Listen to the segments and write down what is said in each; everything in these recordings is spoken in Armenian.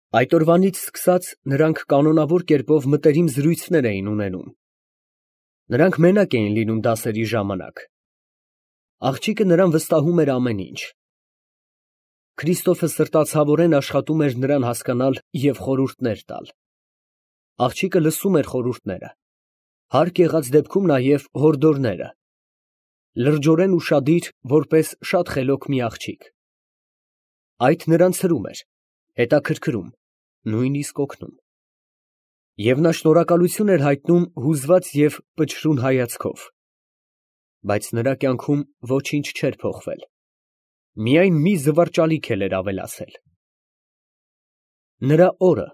Այդ օրվանից սկսած նրանք կանոնավոր կերպով մտերիմ զրույցներ էին ունենում։ Նրանք մենակ էին լինում դասերի ժամանակ։ Աղջիկը նրան վստահում էր ամեն ինչ։ Քրիստոֆը սրտացավորեն աշխատում էր նրան հասկանալ և խորհուրդներ տալ։ Աղջիկը լսում էր խորհուրդները, հարկ եղած դեպքում նաև հորդորները, լրջորեն ուշադիր, որպես շատ խելոք մի աղջիկ։ Այդ նրան ցրում էր, հետաքրքրում, նույնիսկ օգնում։ Եվ նա շնորհակալություն էր հայտնում հուզված և պչրուն հայացքով։ Բայց նրա կյանքում ոչինչ չէր փոխվել, միայն մի զվարճալիք էր ավելացել։ Նրա օրը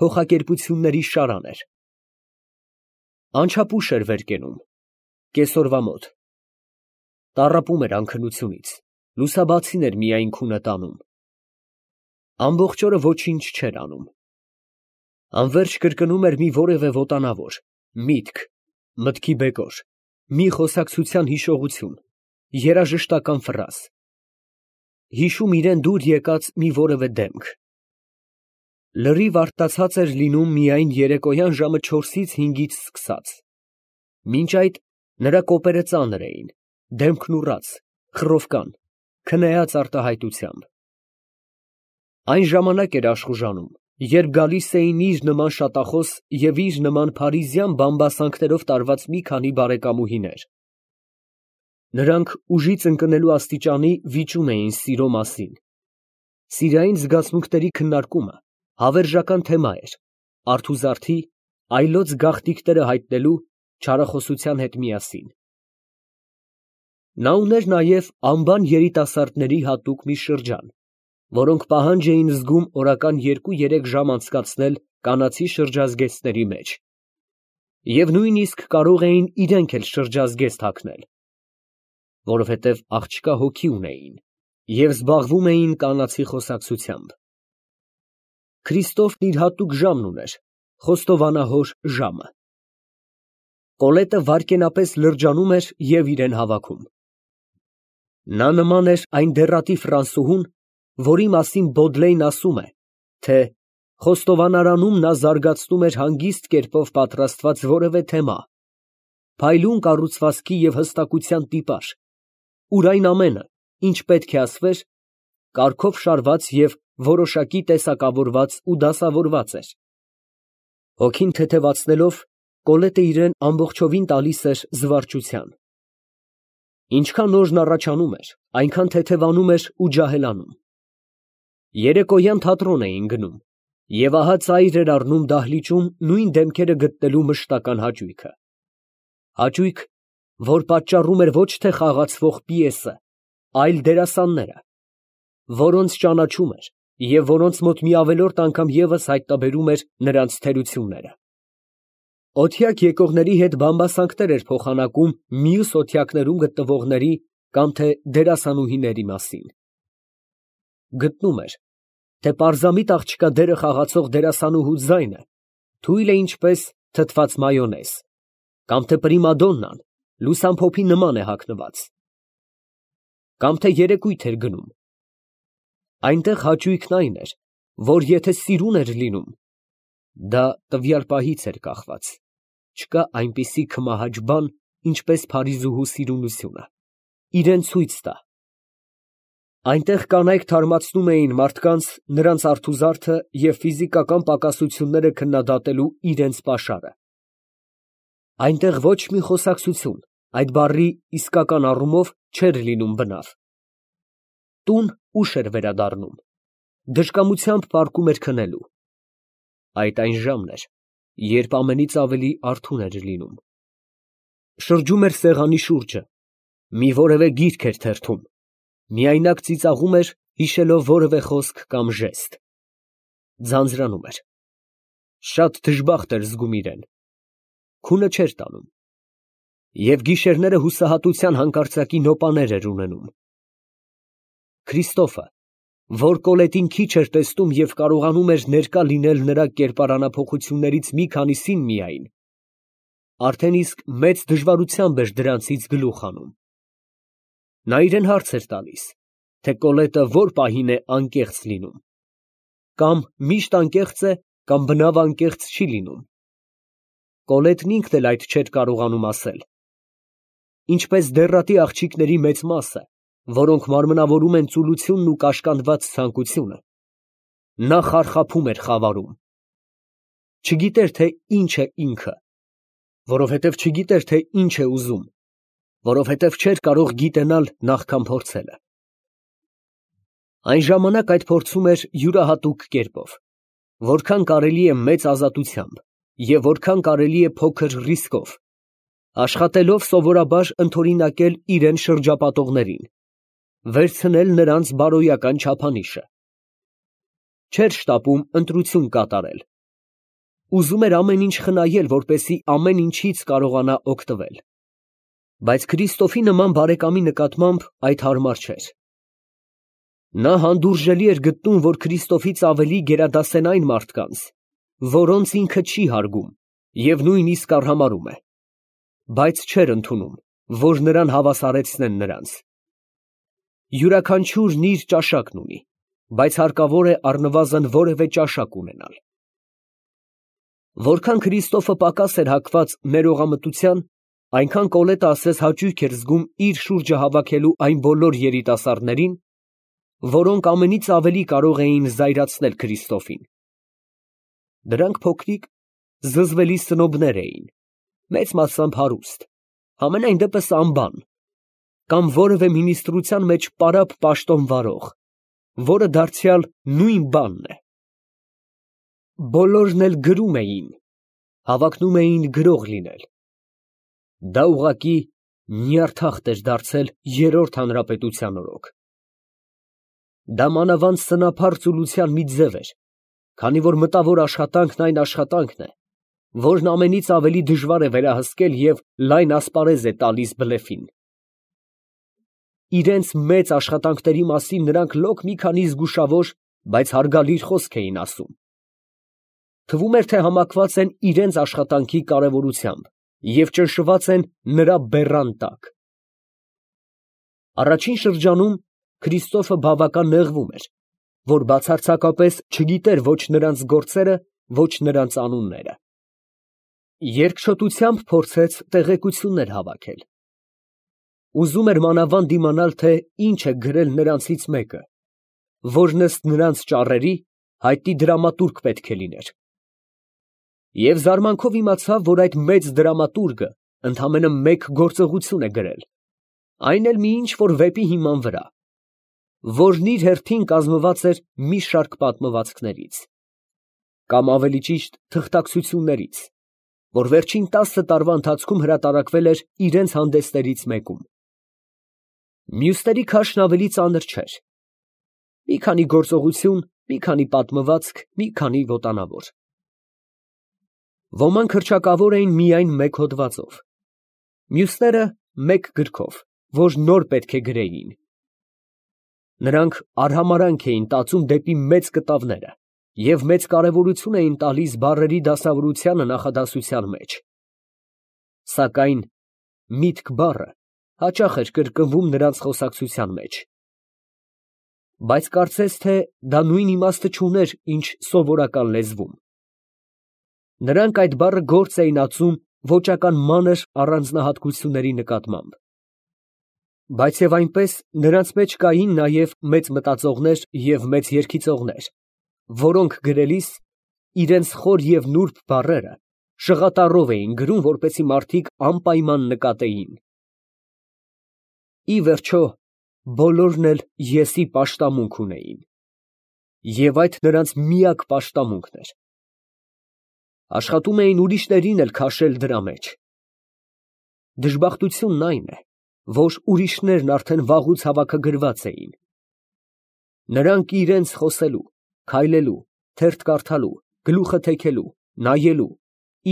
փոխակերպությունների շարան էր։ Անչափ ուշ էր վեր կենում, կեսօրվա մոտ։ Տառապում էր անքնությունից, լուսաբացին էր միայն քունը տանում։ Ամբողջ օրը ոչինչ չէր անում։ Անվերջ կրկնում էր մի որևէ ոտանավոր, միտք, մտքի բեկոր, մի խոսակցության հիշողություն, երաժշտական ֆրազ։ Հիշում իրան դուր եկած մի որևէ դեմք։ Լրիվ արտացած էր լինում միայն երեկոյան ժամը 4-ից 5-ից սկսած։ Մինչ այդ նրա կոպերը ծանր էին, դեմքն ուռած, խռովկան, քնեած արտահայտությամբ։ Այն ժամանակ էր աշխուժանում, երբ գալիս էին իր նման շատախոս և իր նման փարիզյան բամբասանքներով տարված մի քանի բարեկամուհիներ։ Նրանք ուժից ընկնելու աստիճանի վիճում էին սիրո մասին։ Սիրային զգացմունքների քննարկումը հավերժական թեմա էր, արթուզարդի, այլոց գաղտնիքները հայտնելու չարախոսության հետ միասին։ Նա ուներ նաև անբան երիտասարդների հատուկ մի շրջան, որոնք պահանջ էին զգում օրական 2-3 ժամ անցկացնել կանացի շրջազգեստների մեջ, և նույնիսկ կարող էին իրենք էլ շրջազգեստ հագնել, որովհետև աղջկա հոգի ունեին և զբաղվում էին կանացի խոսակցությամբ։ Քրիստոֆն իր հատուկ ժամն ուներ, խոստովանահոր ժամը։ Կոլետը վայրկենապես լրջանում էր և իրեն հավաքում։ Նա նման էր այն դեռատի ֆրանսուհուն, որի մասին Բոդլեյն ասում է, թե խոստովանարանում նա զարգացնում էր հանգիստ կերպով պատրաստված որևէ թեմա, փայլուն կառուցվածքի և հստակության տիպաժ, ուր այն ամենը, ինչ պետք է ասվեր, կարգով շարված և որոշակի տեսակավորված ու դասավորված էր։ Հոգին թեթևացնելով, Կոլետը իրան ամբողջովին տալիս էր զվարճության։ Ինչքան օրն առաջանում էր, այնքան թեթևանում էր ու ջահելանում։ Երեկոյան թատրոն էին գնում, և ահա ծայր էր առնում դահլիճում նույն դեմքերը գտնելու մշտական հաճույքը։ Հաճույք, որ պատճառում էր ոչ թե խաղացվող պիեսը, այլ դերասանները, որոնց ճանաչում էր և որոնց մոտ մի ավելորդ անգամ ևս հայտնաբերում էր նրանց թերությունները։ Օթյակ եկողների հետ բամբասանքներ էր փոխանակում մյուս օթյակներում գտնվողների կամ թե դերասանուհիների մասին։ Գտնում էր, թե պարզամիտ աղջկա դերը խաղացող դերասանուհու ձայնը թույլ է ինչպես թթված մայոնեզ, կամ թե պրիմադոննան լուսամփոփի նման է հագնված։ Կամ թե երեկույթ էր գնում։ Այնտեղ հաճույքն այն էր, որ եթե սիրուն էր լինում, դա տվյալ պահից էր կախված, չկա այնպիսի քմահաճ բան, ինչպես փարիզուհու սիրունությունը, իրան ցույց տա։ Այնտեղ կանայք թարմացնում էին մարդկանց նրանց արթուզարդը և ֆիզիկական պակասությունները քննադատելու իրենց պաշարը։ Այնտեղ ոչ մի խոսակցություն այդ բառի իսկական առումով չէր լինում բնավ։ Տուն ուշ էր վերադառնում, դժկամությամբ պառկում էր քնելու։ Այդ այն ժամն էր, երբ ամենից ավելի արթուն էր լինում։ Շրջում էր սեղանի շուրջը, մի որևէ գիրք էր թերթում, միայնակ ծիծաղում էր, հիշելով որևէ խոսք կամ ժեստ։ Ձանձրանում էր։ Շատ դժբախտ էր զգում իրան։ Քունը չէր տանում։ Եվ գիշերները հուսահատության հանկարծակի նոպաներ էր ունենում։ Քրիստոֆը, որ Կոլետին քիչ էր տեսնում և կարողանում էր ներկա լինել նրա կերպարանափոխություններից մի քանիսին միայն, արդեն իսկ մեծ դժվարությամբ էր դրանցից գլուխ հանում։ Նա իրան հարց էր տալիս, թե Կոլետը որ պահին է անկեղծ լինում։ կամ միշտ անկեղծ է, կամ բնավ անկեղծ չի լինում։ Կոլետն ինքն էլ այդ չէր կարողանում ասել։ Ինչպես դեռատի աղջիկների մեծ մասը, որոնք մարմնավորում են ծուլությունն ու կաշկանդված ցանկությունը, նա խարխափում էր խավարում։ Չգիտեր, թե ինչ է ինքը, որովհետև չգիտեր, թե ինչ է ուզում, որովհետև չէր կարող գիտենալ նախքան փորձելը։ Այն ժամանակ այդ փորձում էր յուրահատուկ կերպով, որքան կարելի է մեծ ազատությամբ և որքան կարելի է փոքր ռիսկով, աշխատելով սովորաբար ընդօրինակել իրեն շրջապատողներին, վերցնել նրանց բարոյական չափանիշը։ Չէր շտապում ընտրություն կատարել։ Ուզում էր ամեն ինչ խնայել, որպեսզի ամեն ինչից կարողանա օգտվել։ Բայց Քրիստոֆի նման բարեկամի նկատմամբ այդ հարմար չէր։ Նա հանդուրժելի էր գտնում, որ Քրիստոֆից ավելի գերադասեն այն մարդկանց, որոնց ինքը չի հարգում և նույնիսկ արհամարհում է, բայց չէր ընդունում, որ նրան հավասարեցնեն նրանց։ Յուրաքանչյուրն իր ճաշակն ունի, բայց հարկավոր է առնվազն որևէ ճաշակ ունենալ։ Որքան Քրիստոֆը պակաս էր հակված ներողամտության, այնքան Կոլետը ասես հաճույք էր զգում իր շուրջը հավաքելու այն բոլոր երիտասարդներին, որոնք ամենից ավելի կարող էին զայրացնել Քրիստոֆին։ Դրանք փոքրիկ, զզվելի սնոբներ էին, մեծ մասամբ հարուստ, համենայն դեպս անբան, կամ որևէ մինիստրության մեջ պարապ պաշտոն վարող, որը դարձյալ նույն բանն է։ Բոլորն էլ գրում էին, հավակնում էին գրող լինել։ Դա ուղղակի նյարդախտ էր դարձել երրորդ հանրապետության օրոք։ Դա մանավանդ սնափառ ծուլության մի ձև էր, քանի որ մտավոր աշխատանքն այն աշխատանքն է, որն ամենից ավելի դժվար է վերահսկել և լայն ասպարեզ է տալիս բլեֆին։ Իրենց մեծ աշխատանքների մասին նրանք լոկ մի քանի զգուշավոր, բայց հարգալից խոսք էին ասում։ Թվում էր, թե համակված են իրենց աշխատանքի կարևորությամբ և ճնշված են նրա բեռան տակ։ Առաջին շրջանում Քրիստոֆը բավական նեղվում էր, որ բացարձակապես չգիտեր ոչ նրանց գործերը, ոչ նրանց անունները։ Երկչոտությամբ փորձեց տեղեկություններ հավաքել։ Ուզում էր մանավանդ իմանալ, թե ինչ է գրել նրանցից մեկը, որն ըստ նրանց ճառերի հայտնի դրամատուրգ պետք է լիներ։ Եվ զարմանքով իմացավ, որ այդ մեծ դրամատուրգը ընդամենը մեկ գործողություն է գրել, այն էլ մի ինչ֊որ վեպի հիման վրա, որն իր հերթին կազմված էր մի շարք պատմվածքներից, կամ ավելի ճիշտ թղթակցություններից, որ վերջին 10 տարվա ընթացքում հրատարակվել էր իրենց հանդեսներից մեկում։ Մյուսների քաշն ավելի ծանր չէր. մի քանի գործողություն, մի քանի պատմվածք, մի քանի ոտանավոր։ Ոմանք հռչակավոր էին միայն մեկ հոդվածով, մյուսները մեկ գրքով, որ նոր պետք է գրեին։ Նրանք արհամարհանք էին տածում դեպի մեծ կտավները և մեծ կարևորություն էին տալիս բառերի դասավորությանը նախադասության մեջ։ Սակայն միտք բառը հաճախ էր կրկնվում նրանց խոսակցության մեջ։ Բայց կարծես թե դա նույն իմաստը չուներ, ինչ սովորական լեզվում։ Նրանք այդ բառը գործ էին ածում ոճական մանր առանձնահատկությունների նկատմամբ։ Բայց և այնպես նրանց մեջ կային նաև մեծ մտածողներ և մեծ երգիծողներ, որոնք գրելիս իրենց խոր և նուրբ բառերը շղատառով էին գրում, որպեսզի մարդիկ անպայման նկատեին։ Ի վերջո, բոլորն էլ եսի պաշտամունք ունեին, և այդ նրանց միակ պաշտամունքն էր։ Աշխատում էին ուրիշներին էլ քաշել դրա մեջ։ Դժբախտությունն այն է, որ ուրիշներն արդեն վաղուց հավաքագրված էին։ Նրանք իրենց խոսելու, քայլելու, թերթ կարդալու, գլուխը թեքելու, նայելու,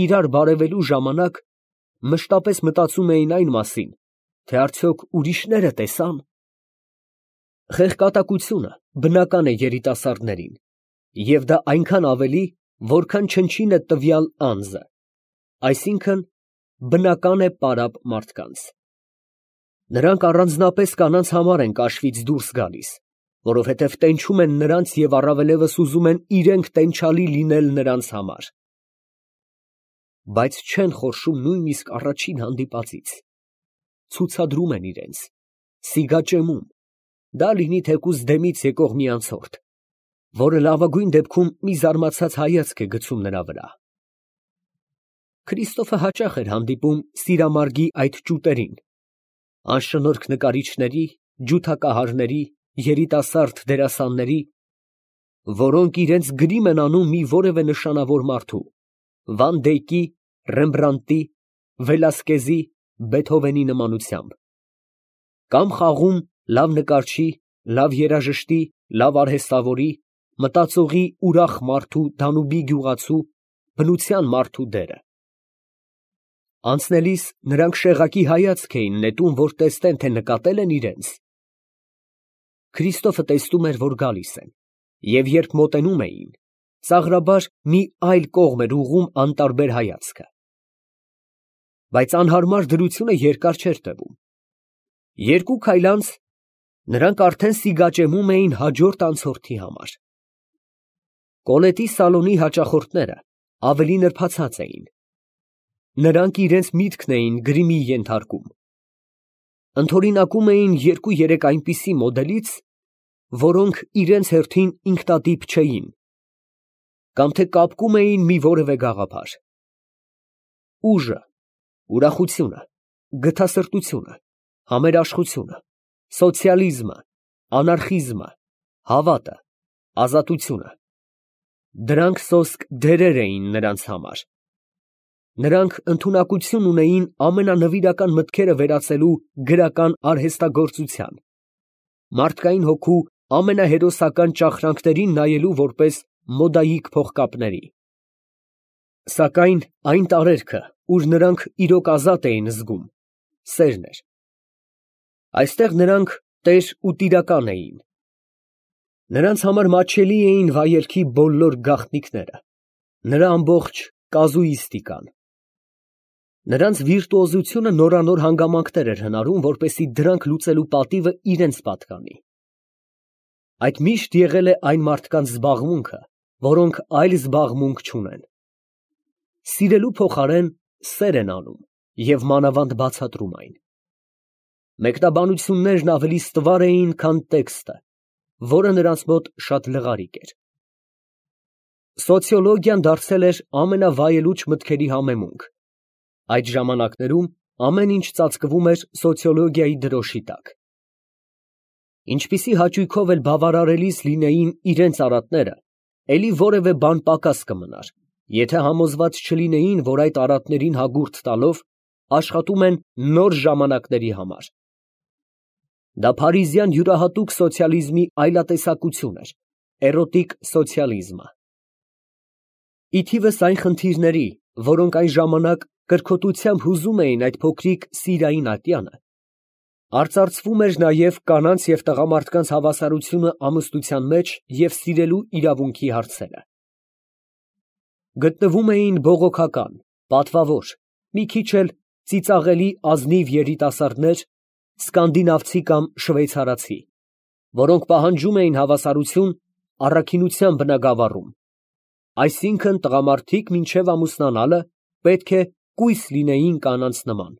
իրար բարևելու ժամանակ մշտապես մտածում էին այն մասին, թե արդյոք ուրիշները տեսա՞ն։ Խեղկատակությունը բնական է երիտասարդներին, և դա այնքան ավելի, որքան չնչին է տվյալ անձը, այսինքն բնական է պարապ մարդկանց։ Նրանք առանձնապես կանանց համար են կաշվից դուրս գալիս, որովհետև տենչում են նրանց և առավելևս ուզում են իրենք տենչալի լինել նրանց համար։ Բայց չեն խորշում նույնիսկ առաջին հանդիպածից, ցուցադրում են իրենց, սիգաճեմում, դա լինի թեկուզ դեմից եկող մի անցորդ, որը լավագույն դեպքում մի զարմացած հայացք է գցում նրա վրա։ Քրիստոֆը հաճախ էր հանդիպում սիրամարգի այդ ճուտերին, անշնորհք նկարիչների, ջութակահարների, երիտասարդ դերասանների, որոնք իրենց գրիմ են անում մի որևէ նշանավոր մարդու, Վան Դեյկի, Ռեմբրանտի, Վելասկեզի, Բեթհովենի նմանությամբ, կամ խաղում լավ նկարչի, լավ երաժշտի, լավ արհեստավորի, մտածողի ուրախ մարդու, Դանուբի գյուղացու, բնության մարդու դերը։ Անցնելիս նրանք շեղակի հայացք էին նետում, որ տեսնեն, թե նկատել են իրենց։ Քրիստոֆը տեսնում էր, որ գալիս են, և երբ մոտենում էին, ծաղրաբար մի այլ կողմ էր ուղղում անտարբեր հայացքը։ Բայց անհարմար դրությունը երկար չէր տևում։ Երկու քայլ անց նրանք արդեն սիգաճեմում էին հաջորդ անցորդի համար։ Կոլետի սալոնի հաճախորդները ավելի նրբացած էին։ Նրանք իրենց միտքն էին գրիմի ենթարկում։ Ընդօրինակում էին երկու-երեք այնպիսի մոդելից, որոնք իրենց հերթին ինքնատիպ չէին, կամ թե կապկում էին մի որևէ գաղափար։ Ուժը, ուրախությունը, գթասրտությունը, համերաշխությունը, սոցիալիզմը, անարխիզմը, հավատը, ազատությունը, դրանք սոսկ դերեր էին նրանց համար։ Նրանք ընդունակություն ունեին ամենանվիրական մտքերը վերածելու գրական արհեստագործության, մարդկային հոգու ամենահերոսական ճախրանքներին նայելու որպես մոդայիկ փողկապների։ Սակայն այն տարերքը, ուր նրանք իրոք ազատ էին զգում, սերն էր։ Այստեղ նրանք տեր ու տիրական էին։ Նրանց համար մատչելի էին վայելքի բոլոր գաղտնիքները, նրա ամբողջ կազուիստիկան։ Նրանց վիրտուոզությունը նորանոր հանգամանքներ էր հնարում, որպեսզի դրանք լուծելու պատիվը իրենց պատկանի։ Այդ միշտ եղել է այն մարդկանց զբաղմունքը, որոնք այլ զբաղմունք չունեն։ Սիրելու փոխարեն սեր են անում և մանավանդ բացատրում այն։ Մեկնաբանություններն ավելի ստվար էին, քան տեքստը, որը նրանց մոտ շատ լղարիկ էր։ Սոցիոլոգիան դարձել էր ամենավայելուչ մտքերի համեմունք։ Այդ ժամանակներում ամեն ինչ ծածկվում էր սոցիոլոգիայի դրոշի տակ։ Ինչպիսի հաճույքով էլ բավարարելիս լինեին իրենց արատները, էլի որևէ բան պակաս կմնար, եթե համոզված չլինեին, որ այդ արատներին հագուրդ տալով աշխատում են նոր ժամանակների համար։ Դա փարիզյան յուրահատուկ սոցիալիզմի այլատեսակություն էր, էրոտիկ սոցիալիզմը։ Ի թիվս այն խնդիրների, որոնք այն ժամանակ կրքոտությամբ հուզում էին այդ փոքրիկ սիրային ատյանը, արծարծվում էր նաև կանանց և տղամարդկանց հավասարությունը ամուսնության մեջ և սիրելու իրավունքի հարցերը։ Գտնվում էին բողոքական, պատվավոր, մի քիչ էլ ծիծաղելի ազնիվ երիտասարդներ, սկանդինավցի կամ շվեյցարացի, որոնք պահանջում էին հավասարություն առաքինության բնագավառում, այսինքն տղամարդիկ մինչև ամուսնանալը պետք է կույս լինեին կանանց նման։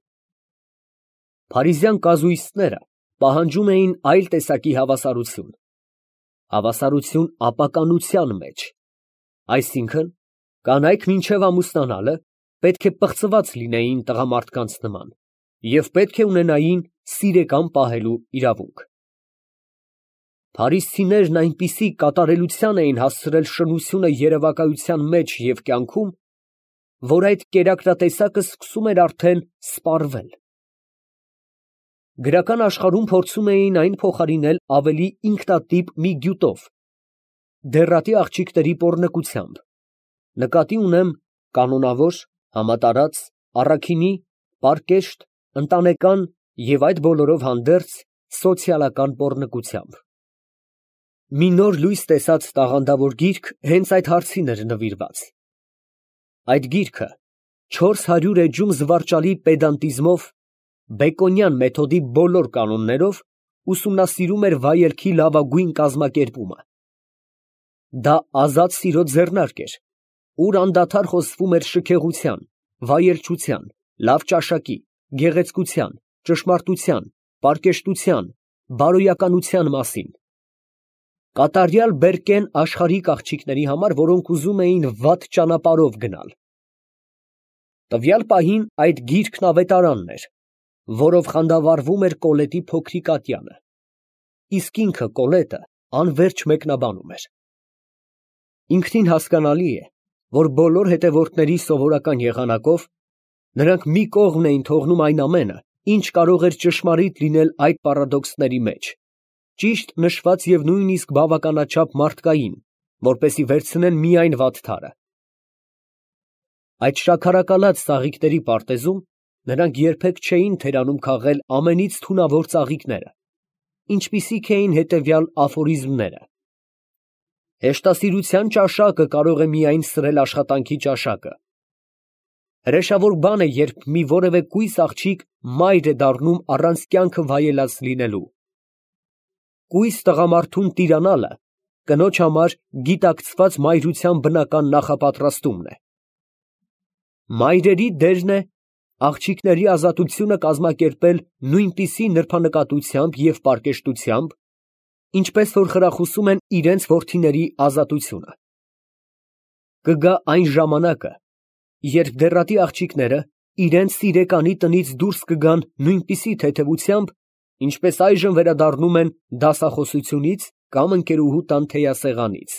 Փարիզյան կազուիստները պահանջում էին այլ տեսակի հավասարություն, հավասարություն ապականության մեջ, այսինքն կանայք մինչև ամուսնանալը պետք է պղծված լինեին տղամարդկանց նման և պետք է ունենային սիրեկան պահելու իրավունք։ Փարիզցիներն այնպիսի կատարելության էին հասցրել շնությունը երևակայության մեջ և կյանքում, որ այդ կերակրատեսակը սկսում էր արդեն սպառվել։ Գրական աշխարհում փորձում էին այն փոխարինել ավելի ինքնատիպ մի գյուտով, դեռատի աղջիկների պոռնկությամբ, նկատի ունեմ կանոնավոր, համատարած, առաքինի, պարկեշտ, ընտանեկան և այդ բոլորով հանդերձ սոցիալական պոռնկությամբ։ Մի նոր լույս տեսած տաղանդավոր գիրք հենց այդ հարցին էր նվիրված։ Այդ գիրքը 400 էջում զվարճալի պեդանտիզմով, բեկոնյան մեթոդի բոլոր կանոններով ուսումնասիրում էր վայելքի լավագույն կազմակերպումը։ Դա ազատ սիրո ձեռնարկ էր, ուր անդադար խոսվում էր շքեղության, վայելչության, լավ ճաշակի, գեղեցկության, ճշմարտության, պարկեշտության, բարոյականության մասին։ Կատարյալ բերկեն աշխարհիկ աղջիկների համար, որոնք ուզում էին վատ ճանապարհով գնալ։ Տվյալ պահին այդ գիրքն ավետարանն էր, որով խանդավառվում էր Կոլետի փոքրիկ ատյանը, իսկ ինքը Կոլետը անվերջ մեկնաբանում էր։ Ինքնին հասկանալի է, որ բոլոր հետևորդների սովորական եղանակով նրանք մի կողմ էին թողնում այն ամենը, ինչ կարող էր ճշմարիտ լինել այդ պարադոքսների մեջ, ճիշտ նշված և նույնիսկ բավականաչափ մարդկային, որպեսզի վերցնեն միայն վատթարը։ Այդ շաքարակալած ծաղիկների պարտեզում նրանք երբեք չէին թերանում քաղել ամենից թունավոր ծաղիկները, ինչպիսիք էին հետևյալ աֆորիզմները. հեշտասիրության ճաշակը կարող է միայն սրել աշխատանքի ճաշակը։ Հրեշավոր բան է, երբ մի որևէ կույս աղջիկ մայր է դառնում առանց կյանքը վայելած լինելու։ Կույս տղամարդուն տիրանալը կնոջ համար գիտակցված մայրության բնական նախապատրաստումն է։ Մայրերի դերն է աղջիկների ազատությունը կազմակերպել նույնպիսի նրբանկատությամբ և պարկեշտությամբ, ինչպես որ խրախուսում են իրենց որդիների ազատությունը։ Կգա այն ժամանակը, երբ դեռատի աղջիկները իրենց սիրեկանի տնից դուրս կգան նույնպիսի թեթևությամբ, ինչպես այժմ վերադառնում են դասախոսությունից կամ ընկերուհու տան թեյասեղանից։